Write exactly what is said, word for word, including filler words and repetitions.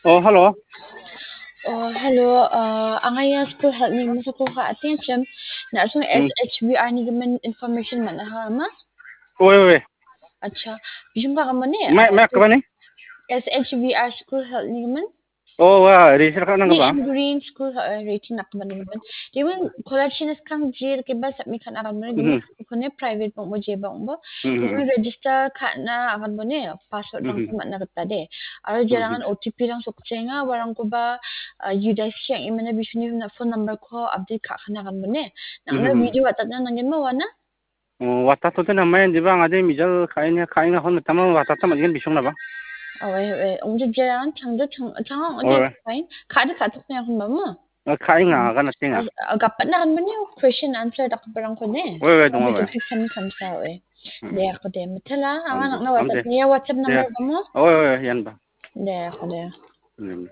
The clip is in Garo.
Oh, hello. Oh, hello. Uh, anga ia school help ni masa ko ka atin chem. Na sung Hmm. S H V R ni gimin information mana ha ma? Oi, oi. Acha. Bijum ka kamane? Mai, mai ka bani? S H V R school help ni gimin? Oh, wa, research ka nang Ni ba? in green school uh, rating nak kamane gimin. Gimin college ni skang jir ke ba submit kan akan mane gimin. Kone private bang bo je bang bo. Mhm. Gimin register ka na akan mane password bang Mhm. mana kata de. Aro jarangan O T P rang sokchenga warang ko ba uh, you guys yang imana bisuni na phone number ko update ka kana kan mane. Nang na Mhm. video WhatsApp na nangin ma wana? Oh, wata to tena mai di bang ade mijal kain ya kain hon tama wata tama jin bisung na ba. Oh, eh, eh, ong je jarangan chang de chang chang ong Oh, je eh. kain. Ka de ka tok na kan ba mo? Kain nga ga na tinga. Uh, gapat na kan mane question answer dak barang ko ne. Oi, oi, dong oi. Topic kami kamsa oi. Hmm. De ako de. Mitala, Am- anga nang na am WhatsApp de. ni ya WhatsApp number Ya. ba mo? Oi, oi, oi, yan ba. De ako de. Hmm.